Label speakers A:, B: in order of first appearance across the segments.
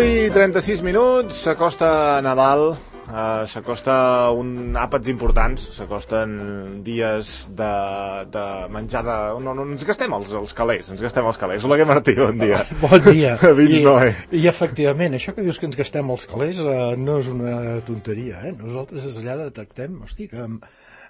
A: I 36 minuts, s'acosta Nadal, s'acosta àpats importants, s'acosten dies de menjar de... No, ens gastem els calés, Oleguer Martí, bon dia.
B: Bon dia.
A: I
B: efectivament, això que dius que ens gastem els calés no és una tonteria, eh? Nosaltres des d'allà detectem, hosti, que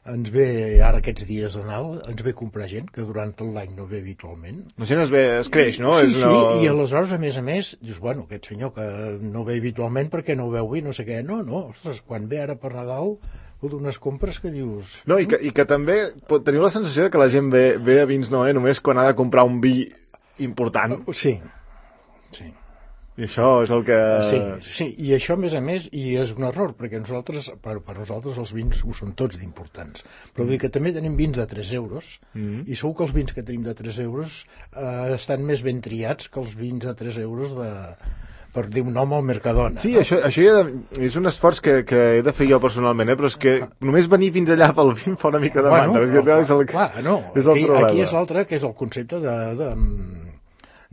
B: ens ve, ara aquests dies de Nadal, ens ve comprar gent que durant tot l'any no ve habitualment.
A: La gent es creix, no?
B: Sí, i aleshores, a més, dius, bueno, aquest senyor que no ve habitualment perquè no ho veu bé, no sé què, no, ostres, quan ve ara per Nadal, unes compres que dius...
A: No, i que també teniu la sensació que la gent ve a Vins Noé només quan ha de comprar un vi important.
B: Sí.
A: I això és el que...
B: Sí, i això, a més, i és un error, perquè nosaltres, per nosaltres els vins ho són tots d'importants. Però vull dir que també tenim vins de 3 euros, i segur que els vins que tenim de 3 euros estan més ben triats que els vins de 3 euros per dir un nom al Mercadona.
A: Sí, no? Això és un esforç que he de fer jo personalment, però és que només venir fins allà pel vi em fa una mica de mandra.
B: Aquí és l'altre, que és el concepte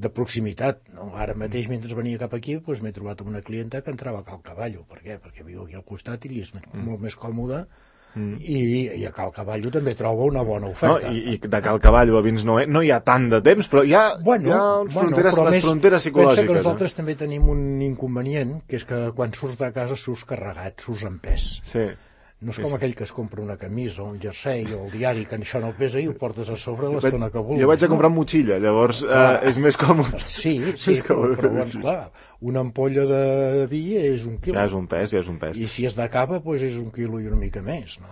B: de proximitat, no? Ara mateix, mentre venia cap aquí, doncs m'he trobat amb una clienta que entrava a Cal Cavallo. Per què? Perquè viu aquí al costat i li és molt més còmode, i a Cal Cavallo també troba una bona oferta.
A: No, i de Cal Cavallo a Vins Noé no hi ha tant de temps, però hi ha les fronteres psicològiques.
B: Pensa que nosaltres també tenim un inconvenient, que és que quan surts de casa surts carregat, surts en pes.
A: Sí.
B: No és com aquell que es compra una camisa o un jersei o el diari, que això no pesa i ho portes a sobre l'estona que vulguis.
A: Jo vaig a comprar motxilla, llavors és més còmode.
B: Sí, però clar, una ampolla de vi és 1 quilo.
A: Ja és un pes.
B: I si és de cava, doncs és 1 quilo i una mica més, no?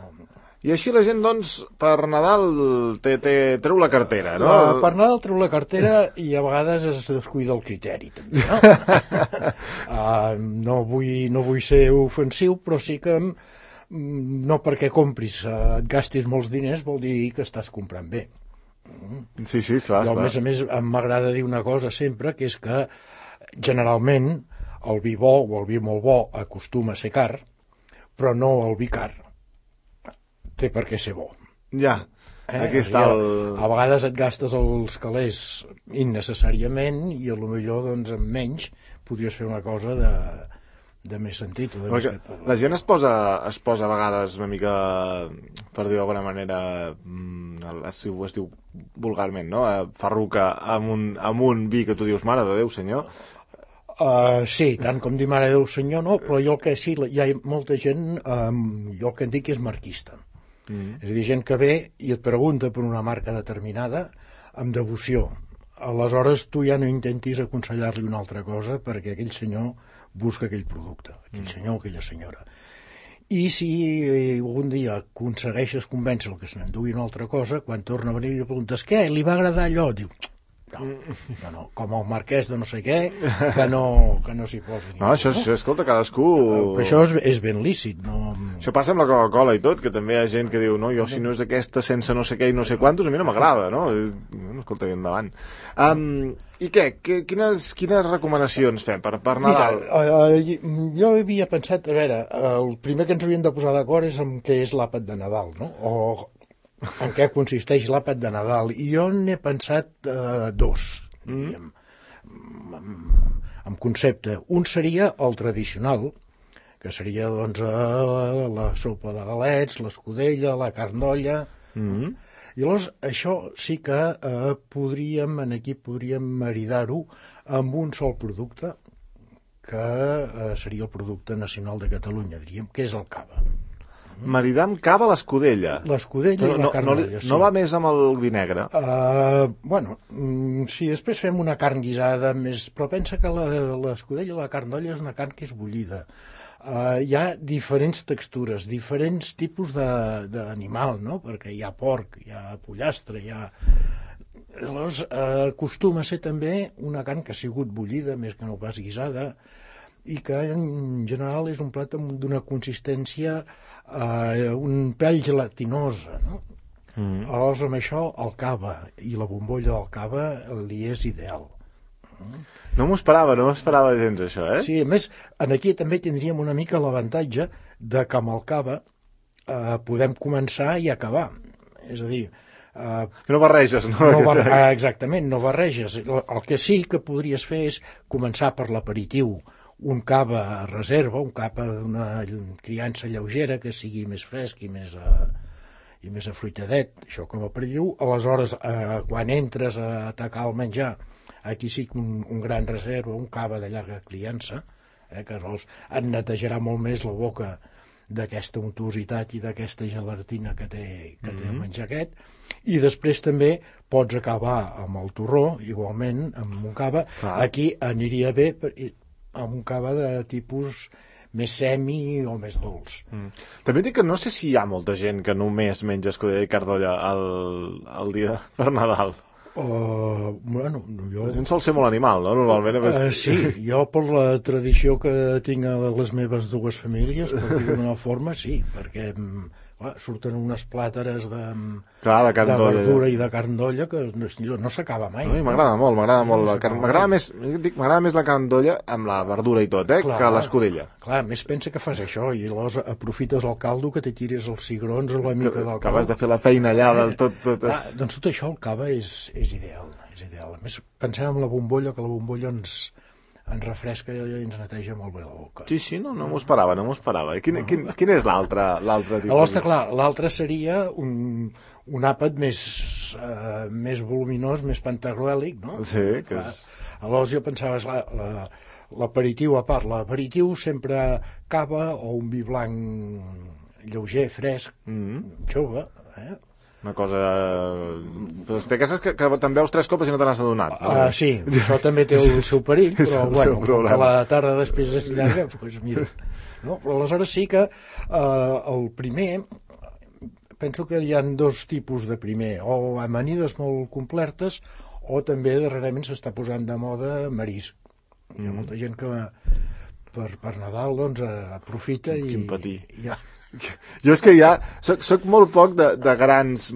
A: I així la gent, doncs, per Nadal treu la cartera, no?
B: Per Nadal treu la cartera i a vegades es descuida el criteri, també, no? No vull ser ofensiu, però sí que no perquè compris, et gastis molts diners vol dir que estàs comprant bé.
A: Sí, clar.
B: I a més m'agrada dir una cosa sempre, que és que generalment el vi bo o el vi molt bo acostuma a ser car, però no el vi car té per què ser bo.
A: Ja, aquí està
B: a vegades et gastes els calés innecessàriament i potser doncs amb menys podries fer una cosa de més sentit.
A: La gent es posa a vegades una mica, per dir d'alguna manera, es diu vulgarment, no? Farruca amb un vi que tu dius, mare de Déu, senyor.
B: Sí, tant com dir mare de Déu, senyor, no, però jo el que sí, hi ha molta gent, jo el que en dic és marquista. És a dir, gent que ve i et pregunta per una marca determinada amb devoció. Aleshores tu ja no intentis aconsellar-li una altra cosa perquè aquell senyor busca aquell producte, aquell senyor o aquella senyora. I si algun dia aconsegueixes convèncer-lo que se n'endugui una altra cosa, quan torna a venir i li preguntes què, li va agradar allò? Diu, no, com el marquès de no sé què, que no s'hi posi.
A: No, això, escolta, cadascú...
B: Però això és ben lícit, no?
A: Això passa amb la Coca-Cola i tot, que també hi ha gent que diu, no, jo si no és aquesta sense no sé què i no sé quantos, a mi no m'agrada, no? Escolta, endavant. I què? Quines recomanacions fem per Nadal?
B: Mira, jo havia pensat, a veure, el primer que ens havíem de posar d'acord és en què és l'àpat de Nadal, no? O en què consisteix l'àpat de Nadal. I jo n'he pensat dos, diríem, en concepte. Un seria el tradicional, que seria doncs la sopa de galets, l'escudella, la carn d'olla. I llavors això sí que podríem maridar-ho amb un sol producte, que seria el producte nacional de Catalunya, diríem, que és el cava.
A: Maridar amb cava l'escudella.
B: L'escudella i la carn d'olla, sí.
A: No va més amb el vi negre?
B: Si després fem una carn guisada més... Però pensa que l'escudella i la carn d'olla és una carn que és bullida. Hi ha diferents textures, diferents tipus d'animal, no? Perquè hi ha porc, hi ha pollastre, hi ha... Llavors, acostuma a ser també una carn que ha sigut bullida, més que no pas guisada, i que en general és un plat d'una consistència un pèl gelatinosa, no? Aleshores amb això el cava i la bombolla del cava li és ideal.
A: No m'ho esperava gens, això, eh?
B: Sí, a més, aquí també tindríem una mica l'avantatge de que amb el cava podem començar i acabar. És a dir...
A: que no barreges, no?
B: Exactament, no barreges. El que sí que podries fer és començar per l'aperitiu, un cava a reserva, un cava d'una criança lleugera que sigui més fresc i més afruitadet, això com a aperitiu. Aleshores, quan entres a atacar el menjar, aquí sí que un gran reserva, un cava de llarga criança, que et netejarà molt més la boca d'aquesta untuositat i d'aquesta gelatina que té el menjar aquest, i després també pots acabar amb el torró, igualment, amb un cava. Aquí aniria bé amb un cava de tipus més semi o més dolç.
A: També dic que no sé si hi ha molta gent que només menja escudella i carn d'olla el dia per Nadal.
B: Bueno, jo...
A: La gent sol ser molt animal, no? Normalment...
B: Sí, jo per la tradició que tinc a les meves dues famílies, per dir-ho d'una forma, sí, perquè surten unes plàteres de verdura i de carn d'olla que no s'acaba mai.
A: M'agrada molt la carn. M'agrada més la carn d'olla amb la verdura i tot, que l'escudella.
B: Clar, més pensa que fas això i llavors aprofites el caldo, que te tires els cigrons o la mica del caldo.
A: Acabes de fer la feina allà del tot.
B: Doncs tot això, el cava és ideal. A més, pensem en la bombolla, que la bombolla ens refresca i ens neteja molt bé la boca.
A: Sí, no m'ho esperava. I quin és l'altre tipus?
B: L'altre seria un àpat més voluminós, més pantagruèlic, no?
A: Sí, que és...
B: Aleshores jo pensava, l'aperitiu a part. L'aperitiu sempre cava o un vi blanc lleuger, fresc, jove,
A: Una cosa... Aquestes que te'n veus 3 copes i no te n'has adonat.
B: Sí, això també té el seu perill, però bueno, que la tarda després és llarga, doncs mira. No? Però aleshores sí que el primer, penso que hi ha 2 tipus de primer, o amanides molt complertes, o també darrerament s'està posant de moda marisc. Hi ha molta gent que per Nadal doncs aprofita i...
A: Quin patí. Jo és que ja soc molt poc de grans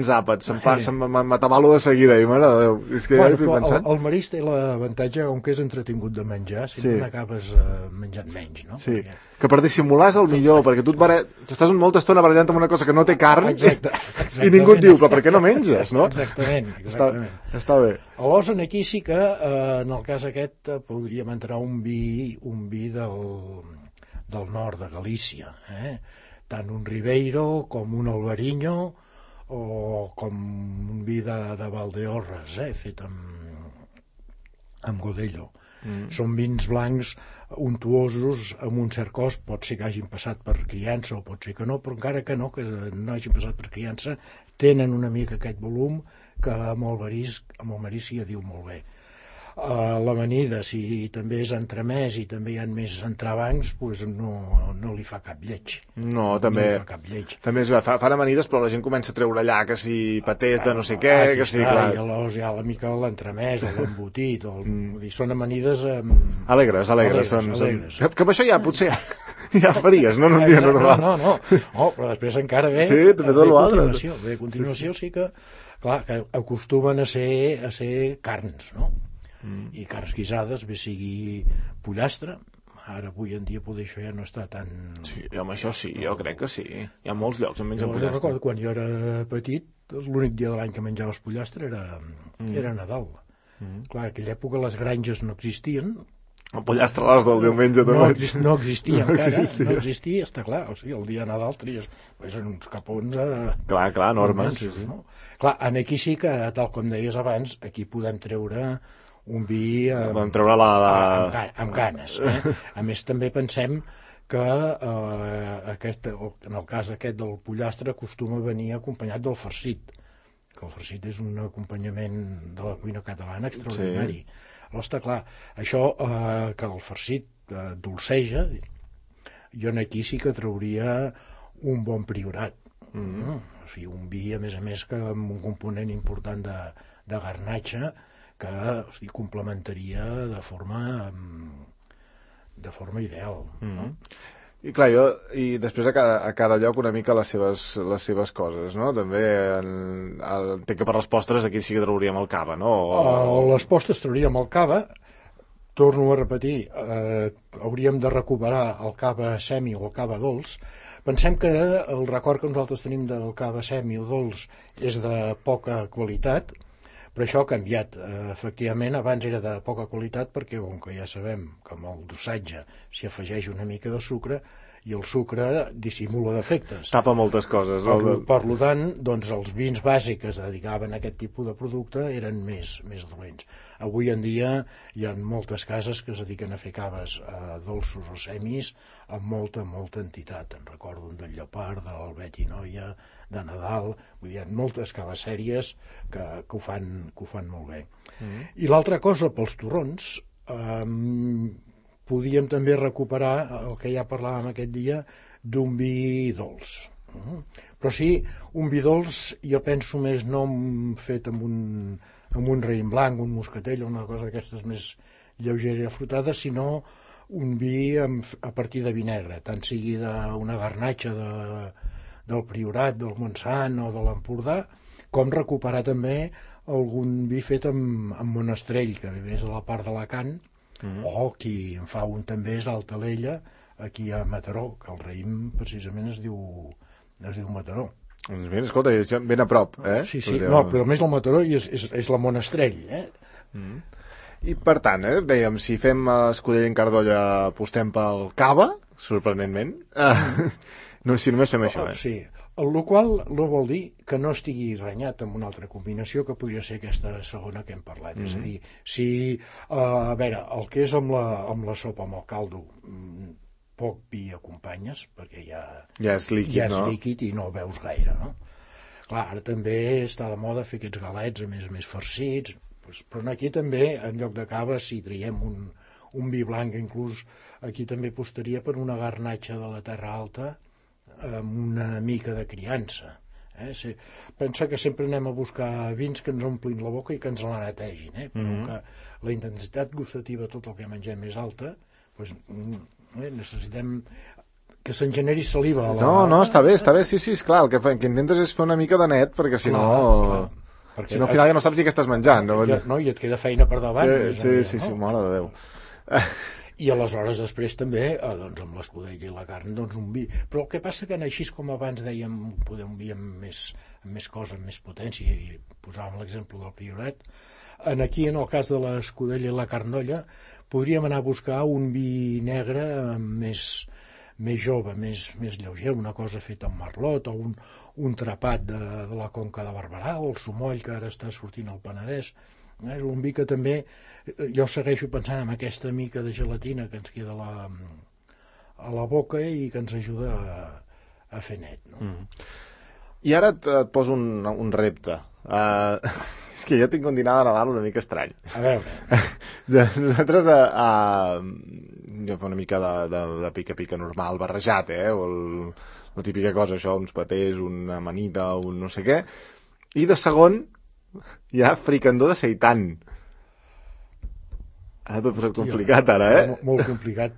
A: àpats, m'atabalo de seguida i m'agrada Déu. És que
B: el marisc té l'avantatge, com que és entretingut de menjar, sempre n'acabes menjant menys, no?
A: Sí, que per dissimular és el millor, perquè tu estàs molta estona barallant amb una cosa que no té carn i ningú et diu, però per què no menges, no?
B: Exactament.
A: Està bé.
B: Aleshores, aquí sí que, en el cas aquest, podríem entrar un vi del nord de Galícia, tant un Ribeiro com un Alvarinho o com un vi de Valdeorras, fet amb Godello. Són vins blancs untuosos, amb un cert cost, pot ser que hagin passat per criança o pot ser que no, però encara que no hagin passat per criança, tenen una mica aquest volum que amb el marisc s'hi diu molt bé. L'amanida, si també és entremès i també hi ha més entrebancs, doncs no li fa cap lleig.
A: No, també és bé, fan amanides, però la gent comença a treure allà que si patés de no sé què, que si...
B: I aleshores hi ha la mica l'entremès o l'embotit, són amanides...
A: Alegres. Que amb això ja potser ja faries, no? En un dia normal.
B: No, però després encara ve...
A: Sí, també tot l'altre.
B: A continuació sí que, clar, que acostumen a ser carns, no? I carns guisades, bé sigui pollastre. Ara, avui en dia, poder això ja no està tan...
A: Sí, home, això sí, jo crec que sí. Hi ha molts llocs on mengen pollastre.
B: Jo recordo quan jo era petit, l'únic dia de l'any que menjaves pollastre era Nadal. Clar, en aquella època les granges no existien.
A: El pollastre a les del diumenge també.
B: No existia encara, no existia, està clar. O sigui, el dia de Nadal tries uns capons...
A: Clar, enormes.
B: Clar, aquí sí que, tal com deies abans, aquí podem treure un vi
A: amb
B: ganes. A més, també pensem que en el cas aquest del pollastre acostuma a venir acompanyat del farcit, que el farcit és un acompanyament de la cuina catalana extraordinari. Llavors està clar, això que el farcit dolceja, jo aquí sí que trauria un bon priorat. O sigui, un vi, a més que amb un component important de garnatge, que complementaria de forma ideal.
A: I clar, i després a cada lloc una mica les seves coses, no? També entenc que per les postres aquí sí que trauríem el cava, no?
B: Les postres trauríem el cava, torno a repetir, hauríem de recuperar el cava semi o el cava dolç. Pensem que el record que nosaltres tenim del cava semi o dolç és de poca qualitat, però això ha canviat. Efectivament, abans era de poca qualitat perquè, com que ja sabem que amb el dosatge s'hi afegeix una mica de sucre i el sucre dissimula defectes.
A: Tapa moltes coses.
B: Per tant, doncs, els vins bàsics que es dedicaven a aquest tipus de producte eren més dolents. Avui en dia hi ha moltes cases que es dediquen a fer caves dolços o semis amb molta entitat. En recordo un del Llopart, de l'Albet i Noia, de Nadal. Vull dir, hi ha moltes caves sèries que ho fan molt bé. I l'altra cosa, pels torrons, podíem també recuperar el que ja parlàvem aquest dia d'un vi dolç. Però sí, un vi dolç jo penso més no fet amb un raïm blanc, un moscatell o una cosa d'aquestes més lleugera i afrutada, sinó un vi a partir de vi negre, tant sigui d'una garnatxa del Priorat, del Montsant o de l'Empordà, com recuperar també algun vi fet amb monestrell, que ve més a la part d'Alacant, o qui en fa un també és Altalella, aquí a Mataró, que el raïm precisament es diu Mataró.
A: Doncs bé, escolta, ben a prop, eh?
B: Sí, no, però més el Mataró i és la Monestrell,
A: I per tant, dèiem, si fem Escudella en Cardolla apostem pel cava, sorprenentment, no, si només fem això,
B: Sí, el qual no vol dir que no estigui renyat amb una altra combinació que podria ser aquesta segona que hem parlat. És a dir, si, a veure, el que és amb la sopa, amb el caldo, poc vi acompanyes, perquè ja
A: és líquid,
B: no? I no veus gaire, no? Clar, ara també està de moda fer aquests galets a més farcits, però aquí també, en lloc de cava, si traiem un vi blanc, inclús aquí també apostaria per una garnatxa de la Terra Alta, amb una mica de criança. Pensa que sempre anem a buscar vins que ens omplin la boca i que ens la netegin, però que la intensitat gustativa, tot el que mengem és alta, doncs necessitem que se'n generi saliva.
A: No, està bé, sí, esclar, el que intentes és fer una mica de net, perquè si no... Si no, al final ja no saps ni què estàs menjant.
B: No, i et queda feina per davant.
A: Sí, mare de Déu.
B: I aleshores després també, doncs amb l'escudella i la carn, doncs un vi. Però el que passa que així com abans dèiem poder un vi amb més cosa, amb més potència, i posàvem l'exemple del Priorat, aquí en el cas de l'escudella i la carnolla podríem anar a buscar un vi negre més jove, més lleuger, una cosa feta amb merlot o un trapat de la Conca de Barberà o el sumoll que ara està sortint al Penedès. És un vi que també jo segueixo pensant en aquesta mica de gelatina que ens queda a la boca i que ens ajuda a fer net, no?
A: I ara et poso un repte. És que jo tinc un dinar de Nadal una mica estrany.
B: A veure.
A: Nosaltres jo fa una mica de pica-pica normal, barrejat, o la típica cosa, això, uns patés, una amanida, un no sé què. I de segon hi ha fricandó de seitan. Ara t'ho he posat complicat, ara,
B: Molt complicat.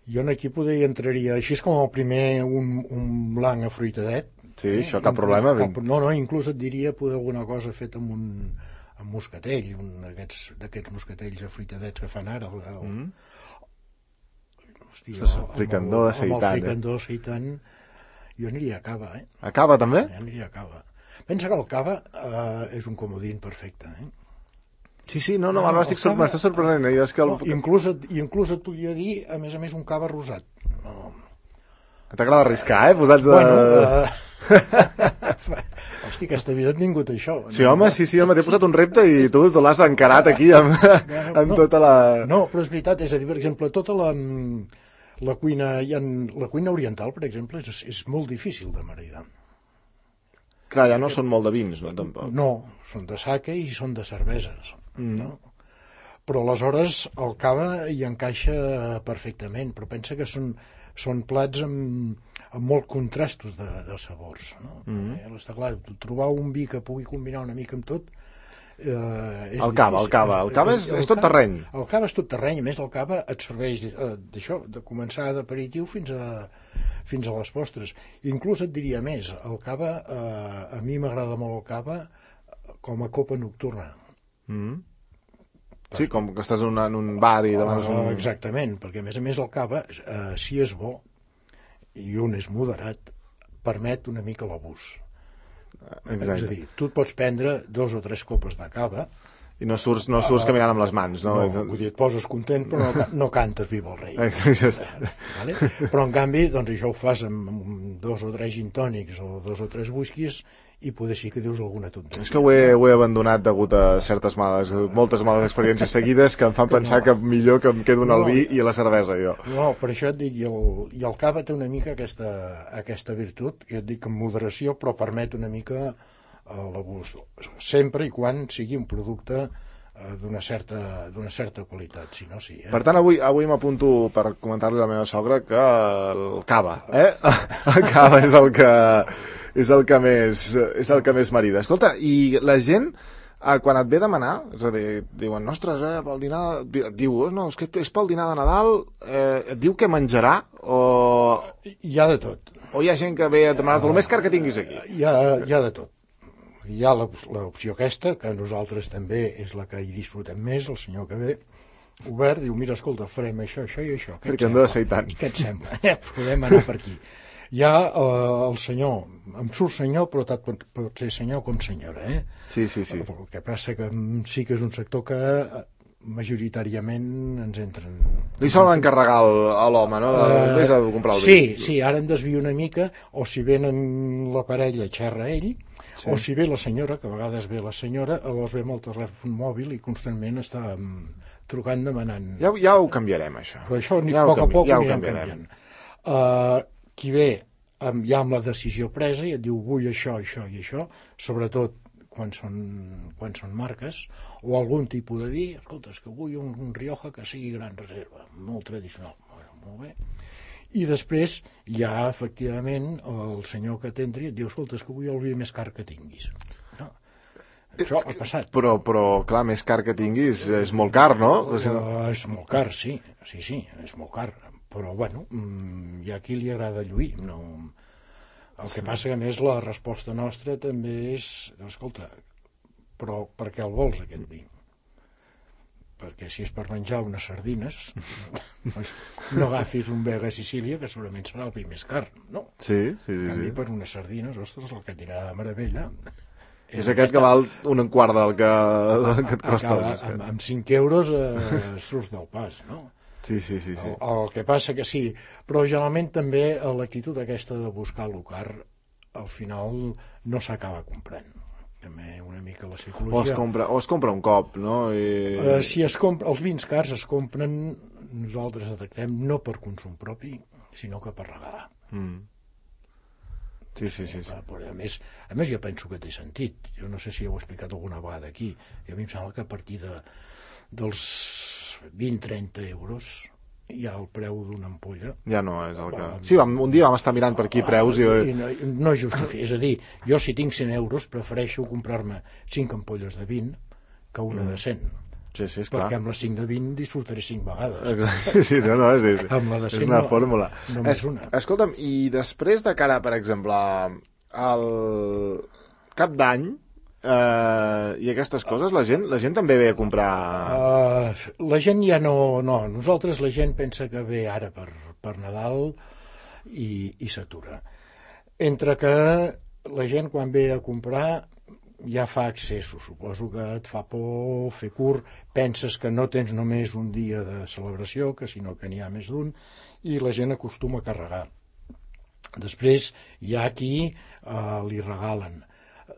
B: Jo aquí hi entraria, així és com el primer, un blanc afruitadet.
A: Sí, això cap problema.
B: No, inclús et diria poder alguna cosa feta amb moscatell, d'aquests moscatells afruitadets que fan ara.
A: Fricandó de seitan.
B: Amb el fricandó de seitan jo aniria a cava,
A: A cava, també?
B: Jo aniria a cava. Pensa que el cava és un comodín perfecte,
A: Sí, no, m'està sorprenent.
B: Inclús et podria dir, a més, un cava rosat.
A: T'agrada arriscar, posats de...
B: Hosti, aquesta vida ha tingut això.
A: Sí, home, sí, t'he posat un repte i tu l'has encarat aquí amb tota la...
B: No, però és veritat, és a dir, per exemple, tota la cuina oriental, per exemple, és molt difícil de maridar.
A: Clar, ja no són molt de vins, no, tampoc.
B: No, són de sake i són de cerveses, no? Però aleshores el cava hi encaixa perfectament, però pensa que són plats amb molts contrastos de sabors, no? Està clar, trobar un vi que pugui combinar una mica amb tot
A: El cava és tot terreny.
B: El cava és tot terreny, a més el cava et serveix d'això, de començar d'aperitiu fins a les postres. Inclús et diria més, el cava, a mi m'agrada molt el cava com a copa nocturna.
A: Sí, com que estàs en un bar i demanes un...
B: Exactament, perquè a més el cava, si és bo i un és moderat, permet una mica l'abús. És a dir, tu et pots prendre 2 o 3 copes de cava
A: i no surts caminant amb les mans, no?
B: Vull dir, et poses content però no cantes Viva el Rei. Vale? Però en canvi, doncs això ho fas amb 2 o 3 gin tònics o 2 o 3 whiskies i poder sí que dius alguna tonteria.
A: És que ho he abandonat degut a moltes males experiències seguides que em fan pensar que millor que em quedo en el vi i a la cervesa, jo.
B: No, per això et dic, i el cava té una mica aquesta virtut, i et dic amb moderació, però permet una mica l'abús, sempre i quan sigui un producte d'una certa qualitat, si no sí.
A: Per tant, avui m'apunto per comentar-li a la meva sogra que el cava, el cava és el que més marida. Escolta, i la gent, quan et ve a demanar, és a dir, diuen, ostres, pel dinar... Diu, no, és que és pel dinar de Nadal, et diu què menjarà, o...
B: Hi ha de tot.
A: O hi ha gent que ve a demanar-te el més car que tinguis aquí?
B: Hi ha de tot. Hi ha l'opció aquesta, que nosaltres també és la que hi disfrutem més, el senyor que ve, obert, diu, mira, escolta, farem això i això.
A: Què et
B: sembla? Podem anar per aquí. Hi ha el senyor, em surt senyor, però tant pot ser senyor com senyora,
A: Sí.
B: El que passa que sí que és un sector que majoritàriament ens entren...
A: Li solen encarregar a l'home, no? Vés a comprar el
B: vi. Sí, ara em desvio una mica, o si venen la parella xerra ell, sí. O si ve la senyora, que a vegades ve la senyora, llavors ve amb el telèfon mòbil i constantment està trucant demanant...
A: Ja ho canviarem, això.
B: Però això a poc ho anirem canviant. Qui ve ja amb la decisió presa i et diu vull això i això, sobretot quan són marques, o algun tipus de vi, escolta, és que vull un Rioja que sigui gran reserva, molt tradicional, molt bé. I després hi ha, efectivament, el senyor que t'entri i et diu, escolta, és que vull el vi més car que tinguis. No. Això ha passat.
A: Però, clar, més car que tinguis és molt car, no?
B: És molt car, sí, és molt car. Però, bueno, hi ha qui li agrada lluir, no... El que passa que, a més, la resposta nostra també és, escolta, però per què el vols, aquest vi? Perquè si és per menjar unes sardines, no agafis un Vega Sicília, que segurament serà el vi més car, no?
A: Sí.
B: En canvi, per unes sardines, ostres, el que et dirà de meravella...
A: És aquest que val un quart del que et costa.
B: Amb 5 euros surts del pas, no?
A: Sí.
B: El que passa que sí, però generalment també l'actitud aquesta de buscar el car al final no s'acaba comprant. També una mica la psicologia.
A: O es compra un cop, no?
B: Si es compra, els vins cars es compren, nosaltres detectem, no per consum propi, sinó que per regalar.
A: Sí.
B: A més jo penso que té sentit. Jo no sé si ho he explicat alguna vegada aquí. A mi em sembla que a partir dels 20-30 euros hi ha el preu d'una ampolla.
A: Ja no és el que... Sí, un dia vam estar mirant per aquí preus i...
B: No justifica. És a dir, jo si tinc 100 euros prefereixo comprar-me 5 ampolles de 20 que una de 100.
A: Sí, és clar.
B: Perquè amb les 5 de 20 disfrutaré 5 vegades.
A: Exacte. Sí, no, és una fórmula.
B: Només una.
A: Escolta'm, i després de cara, per exemple, al cap d'any i aquestes coses, la gent també ve a comprar...
B: La gent ja no... Nosaltres la gent pensa que ve ara per Nadal i s'atura. Entre que la gent quan ve a comprar ja fa accessos, suposo que et fa por fer curt, penses que no tens només un dia de celebració, que sinó que n'hi ha més d'un, i la gent acostuma a carregar. Després hi ha qui li regalen.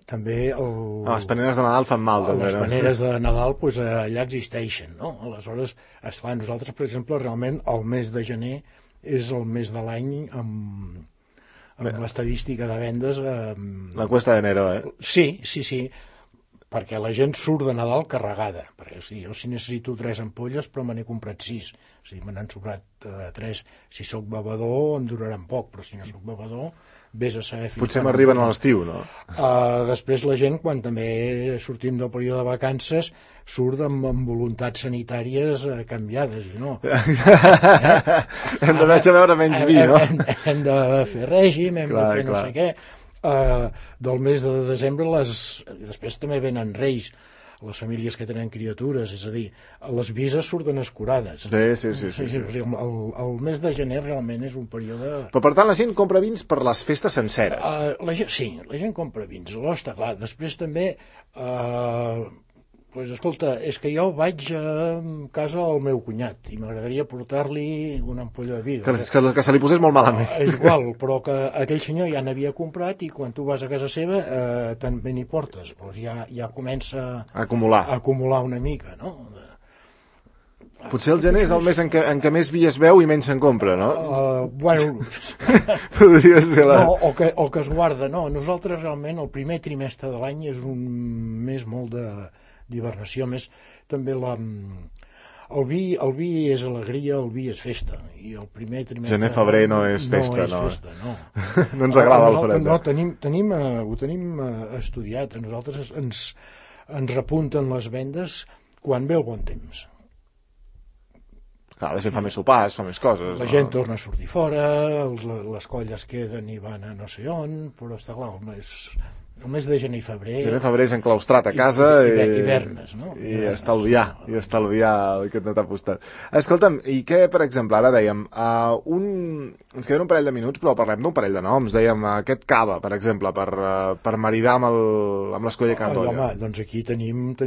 B: També
A: les paneres de Nadal fan mal, també.
B: Les paneres de Nadal allà existeixen, no? Aleshores, esclar, nosaltres, per exemple, realment el mes de gener és el mes de l'any amb l'estadística de vendes...
A: La cuesta d'enero,
B: Sí. perquè la gent surt de Nadal carregada. Perquè, o sigui, jo si necessito 3 ampolles, però me n'he comprat 6. O sigui, me n'han sobrat 3. Si sóc bevedor, em duraran poc, però si no sóc bevedor, vés a saber...
A: Potser m'arriben a l'estiu, no?
B: Després la gent, quan també sortim del període de vacances, surt amb voluntats sanitàries canviades, i no.
A: Hem de veure menys vi, no?
B: Hem de fer règim, hem de fer no sé què. Del mes de desembre després també venen reis, les famílies que tenen criatures, és a dir, les vises surten escurades.
A: Sí.
B: El mes de gener realment és un període...
A: Però per tant la gent compra vins per les festes senceres.
B: Sí, la gent compra vins, està clar. Després també... Pues, escolta, és que jo vaig a casa al meu cunyat i m'agradaria portar-li una ampolla de vi.
A: Que se li posés molt malament.
B: És igual, però que aquell senyor ja n'havia comprat i quan tu vas a casa seva també n'hi portes. Doncs ja comença
A: a acumular
B: una mica, no?
A: Potser el gener és el mes en què més vi es veu i menys se'n compra, no?
B: Bueno...
A: Podria ser
B: o que es guarda, no. Nosaltres realment el primer trimestre de l'any és un mes molt d'hibernació, més també el vi és alegria, el vi és festa, i el primer trimestre...
A: Gener-febrer no és festa,
B: no.
A: No ens agrada el fred.
B: No, ho tenim estudiat. A nosaltres ens repunten les vendes quan ve el bon temps.
A: Clar, la gent fa més sopars, fa més coses.
B: La gent torna a sortir fora, les colles queden i van a no sé on, però està clar, el mes de gener i febrer...
A: Gener-febrer és enclaustrat a casa
B: hivernes, no?
A: I estalviar el que no t'ha apostat. Escolta'm, i què, per exemple, ara dèiem, ens queden un parell de minuts, però parlem d'un parell de noms. Dèiem aquest Cava, per exemple, per maridar amb l'Escolla de Can Doia.
B: Home, doncs aquí tenim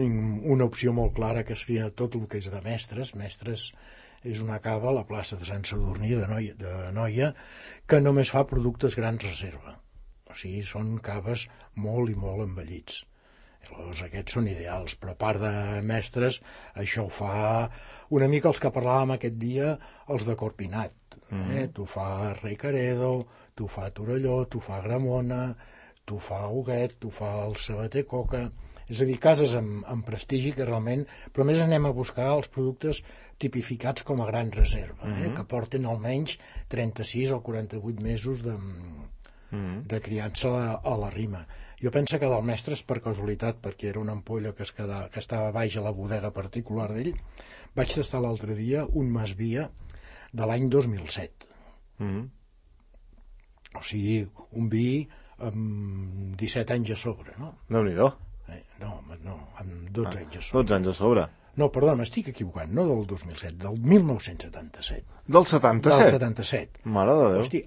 B: una opció molt clara, que seria tot el que és de Mestres. Mestres és una cava a la plaça de Sant Sadurní de Noia, que només fa productes grans reserva. O sigui, són caves molt i molt envellits. Llavors, aquests són ideals, però a part de Mestres, això ho fa una mica els que parlàvem aquest dia, els de Corpinat. Tu fa Rei Caredo, tu fa Torelló, tu fa Gramona, tu fa Huguet, tu fa el Sabater Coca... És a dir, cases amb prestigi que realment... Però més anem a buscar els productes tipificats com a gran reserva, que porten almenys 36 o 48 mesos de criança a la rima. Jo penso que del Mestres, per casualitat, perquè era una ampolla que estava baix a la bodega particular d'ell, vaig tastar l'altre dia un Masvia de l'any 2007. O sigui, un vi amb 17 anys a sobre, no?
A: Déu-n'hi-do.
B: No, amb 12 anys a sobre.
A: 12 anys a sobre.
B: No, perdó, m'estic equivocant, no del 2007, del 1977.
A: Del 77?
B: Del 77.
A: Mare de Déu.
B: Hosti,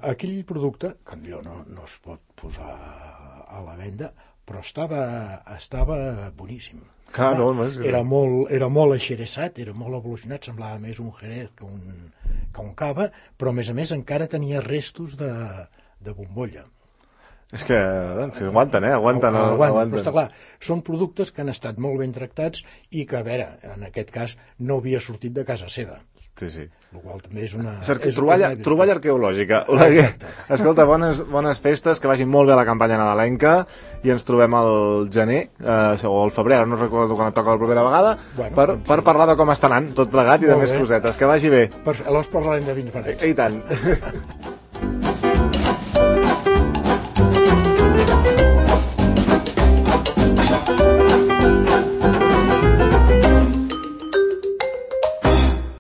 B: aquell producte, que allò no es pot posar a la venda, però estava boníssim.
A: Clar, no,
B: era molt aixeresat, era molt evolucionat, semblava més un Jerez que un Cava, però a més encara tenia restos de bombolla.
A: És que aguanten, aguanten.
B: Però està clar, són productes que han estat molt ben tractats i que, a veure, en aquest cas no havia sortit de casa seva.
A: Sí.
B: El qual també és una...
A: Troballa arqueològica.
B: Exacte.
A: Escolta, bones festes, que vagin molt bé la campanya nadalenca i ens trobem al gener, o al febrer, no recordo quan et toca la propera vegada, per parlar de com està anant tot plegat i de més cosetes. Que vagi bé.
B: Aleshores parlarem de vins baratos.
A: I tant.